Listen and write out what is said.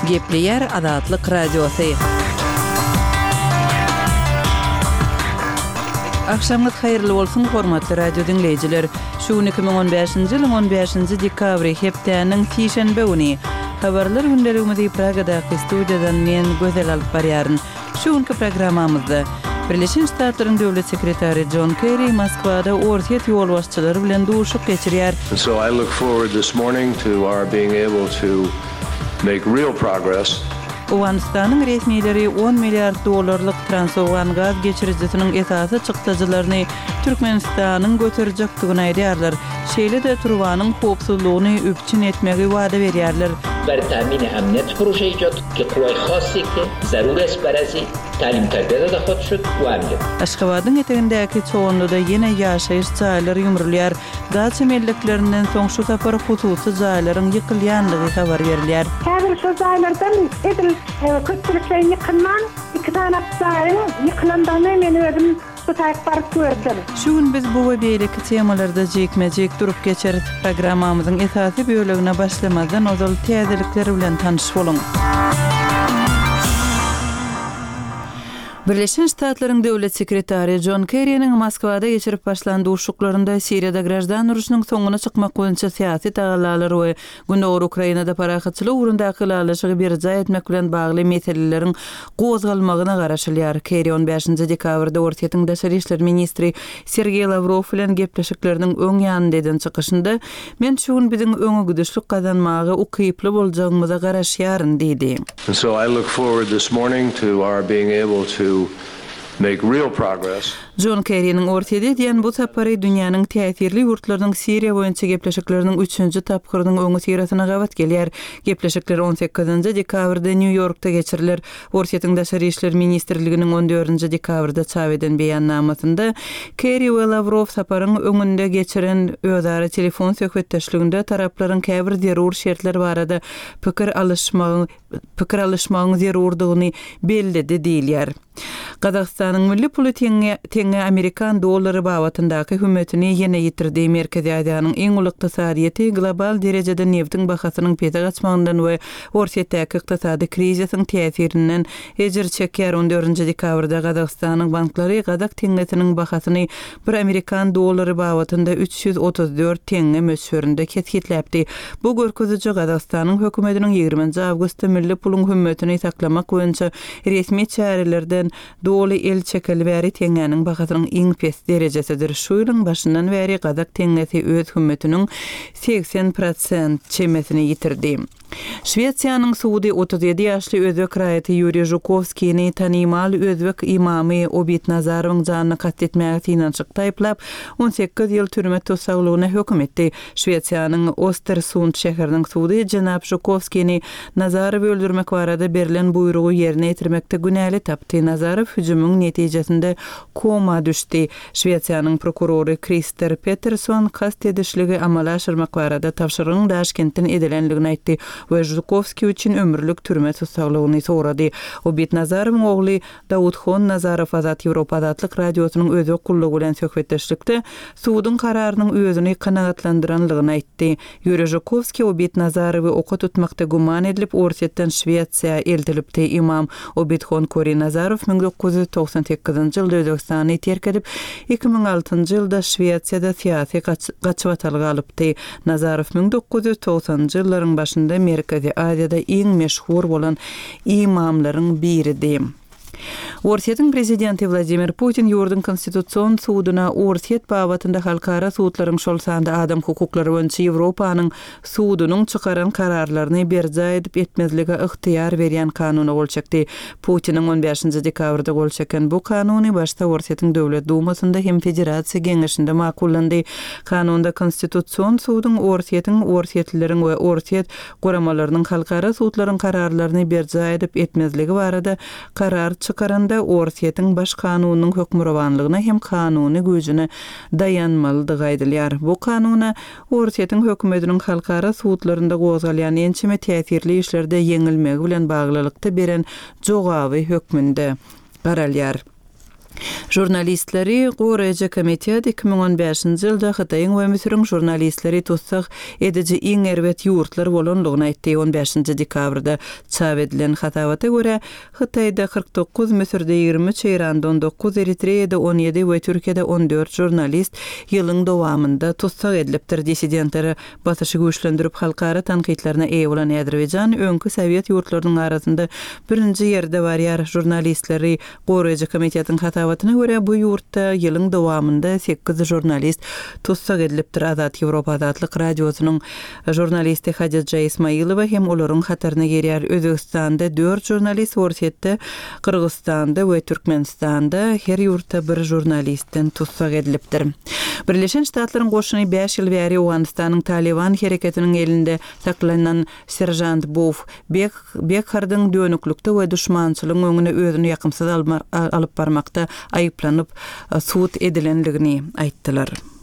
Gepleýär Azatlyk Radiosy. Agşamyňyz haýyrly bolsun, hormatly radio diňleýjiler! Şu gün 2015-nji ýylyň 15-nji dekabry, hepdäniň sişenbe güni. Habarlar gündeligimizi Pragadaky studiýadan men, Gözel alyp barýaryn. Şu günki programmamyzda, Birleşen Ştatlaryň Döwlet sekretary Jon Kerri Moskwada Orsýet ýolbaşçylary bilen duşuk geçirýär. And so I look forward this morning to our being able to make real progress. Owganystanyň resmileri on milliard dollarlyk Transowgan gaz geçirijisiniň esasy çykdajylaryny Türkmenistanyň göterjekdigini aýdýarlar. Şeýle-de turbanyň howpsuzlygyny üpjün etmegi wada berýärler. بر تامین امنیت پروژه ایجاد که قوای خاصی که ضرور است بر ازی تعلیم تربیت داده خواهد شد و امنیت. Aşgabadyň etegindäki Çoganlyda ýene ýaşaýyş jaýlary ýumrulýar. Daça melleklerinden soň şu sapar hususy jaýlaryň ýykylýandygy habar berilýär. Häzir şol jaýlardan edil köpçülikleýin ýykylman, iki sany jaýyň ýykylandygyny men özüm Bu taýyk baryp gördüm. Şu gün biz bu we beýleki temalarda jikme-jik durup geçeris. Programmamyzyň esasy bölegine başlamazdan ozal täzelikler bilen tanyş boluň. Birleşen Ştatlaryň Döwlet sekretary Jon Kerriniň Moskwada geçirip başlan duşuşyklarynda Siriýada graždan urşunyň soňuna çykmak boýunça syýasy tagallalar we Gündogar Ukrainada parahatçylyk ugrundaky ylalaşygy berjaý etmek bilen bagly meseleleriň gozgalmagyna garaşylýar. Kerri on bäşinji dekabrda Orsýetiň daşary işler ministri Sergeý Lawrow bilen gepleşikleriniň öň ýanynda eden çykyşynda, Men şu gün biziň öňegidişlik gazanmaga ukyply boljagymyza garaşýaryn diýdi. And so I look forward this morning to our being able to make real progress. Jon Kerriniň Orsýete edýän bu sapary dünýäniň täsirli ýurtlarynyň Siriýa boýunça gepleşikleriniň üçünji tapgyrynyň öňüsyrasyna gabat gelýär. Gepleşikler on sekizinji dekabrda Nýu-Ýorkda geçiriler. Orsýetiň Daşary işler ministrliginiň on dördünji dekabrda çap eden beýannamasynda, Kerri we Lawrow saparyň öňünde geçiren özara telefon söhbetdeşliginde taraplaryň käbir zerur şertler barada pikir alyşmagyň pikir alyşmagyň zerurdygyny belledi diýilýär. Gazagystanyň milli puly teňňe teňňe amerikan dollary babatyndaky hümmetini ýene ýitirdi. Merkezi Aziýanyň iň uly ykdysadyýeti global derejede nebtiň bahasynyň pese gaçmagyndan we Orsýetdäki ykdysady krizisiň täsirinden ejir çekýär. On dördünji dekabrda Gazagystanyň banklary gazak teňňesiniň bahasyny bir amerikan dollary babatynda 334 teňňe möçberinde kesgitläpdi. Bu görkeziji Gazagystanyň hökümetiniň ýigriminji awgustda milli puluň hümmetini saklamak boýunça Resmi çärelerden doly el çekeli bäri teňňäniň bahasynyň iň pes derejesidir. Şu ýylyň başyndan bäri gazak teňňesi öz hümmetiniň 80 prosent çemesini ýitirdi. Şwesiýanyň sudy 37 ýaşly özbek raýaty Ýuriý Žukowskini tanymal özbek ymamy Obid Nazarowyň janyna kast etmäge synanyşykda aýyplap, 18 ýyl türme tussaglygyna höküm etdi. Şwesiýanyň Ostersund şäheriniň sudy jenap Žukowskini Nazarowy öldürmek barada berlen buýrugy ýerine ýetirmekde günäli tapdy. Nazarow hüjümiň netijesinde koma düşdi. Şwesiýanyň prokurory Krister Peterson kast edişligi amala aşyrmak barada tabşyrygyň Daşkentden edilendigini aýtdy we Žukowskiý üçin ömürlik türme tussaglygyny sorady. Obid Nazarowyň ogly Dawudhon Nazarow Azat Ýewropa Azatlyk Radiosynyň özbek gullugy bilen söhbetdeşlikde suduň kararynyň özüni kanagatlandyranlygyny aýtdy. Ýuriý Žukowskiý Obid Nazarowy oka tutmakda güman edilip, Orsýetden Şwesiýa eltilipdi. Ymam Obidhon Kori Nazarow 1998-nji ýylda Özbegistany terk edip, 2006-njy ýylda Şwesiýada syýasy gaçybatalga alypdy. Nazarow 1990-njy ýyllaryň başynda Merkezi Aziýada iň meşhur bolan ymamlaryň biridi. Orsýetiň prezidenti Wladimir Putin ýurduň Konstitusion suduna Orsýet babatynda halkara sudlaryň, şol sanda adam hukuklary boýunça Ýewropanyň sudunyň çykaran kararlaryny berjaý edip etmezlige ygtyýar berýän kanuna gol çekdi. Putiniň on bäşinji dekabrda gol çeken bu kanuny başda Orsýetiň Döwlet Dumasynda hem Federasiýa Geňeşinde makullandy. Kanunda Konstitusion suduň Orsýetiň, orsýetlileriň we orsýet guramalarynyň halkara sudlaryň kararlaryny berjaý edip etmezligi barada karar çykaranda Orsýetiň Baş kanunynyň hökmürowanlygyna hem kanuny güýjüne daýanmalydygy aýdylýar. Bu kanuna Orsýetiň hökümetiniň halkara sudlarynda gozgalýan ençeme täsirli işlerde ýeňilmegi bilen baglylykda beren jogaby hökmünde garalýar. Žurnalistleri goraýjy komitet 2015-nji ýylda Hytaýyň we Müsüriň žurnalistleri tussag ediji iň erbet ýurtlar bolandygyny aýtdy. On bäşinji dekabrda çap edilen hasabata görä, Hytaýda 49, Müsürde 23, Eýranda 19, Eritreýada 17 we Türkiýede 14 žurnalist ýylyň dowamynda tussag edilipdir. Dissidentlere Basyşy güýçlendirip, halkara tankytlaryna eýe bolan Azerbaýjan öňki sowet ýurtlarynyň arasynda birinji ýerde barýar. Žurnalistleri goraýjy komitetiň hasabatyna görä, bu ýurtda ýylyň dowamynda sekiz žurnalist tussag edilipdir. Azat Ýewropa Azatlyk Radiosynyň žurnalisti Hadija Ismaýylowa hem olaryň hataryna girýär. Özbegistanda dört žurnalist, Orsýetde, Gyrgyzystanda we Türkmenistanda her ýurtda bir žurnalistden tussag edilipdir. Birleşen Ştatlaryň goşuny bäş ýyl bäri Owganystanyň Talyban hereketiniň elinde saklanan seržant Bow Bek Bekhardyň dönüklikde we duşmançylygyň öňünde özüni ýakymsyz alyp barmakda aýyplanyp sud edilendigini aýtdylar.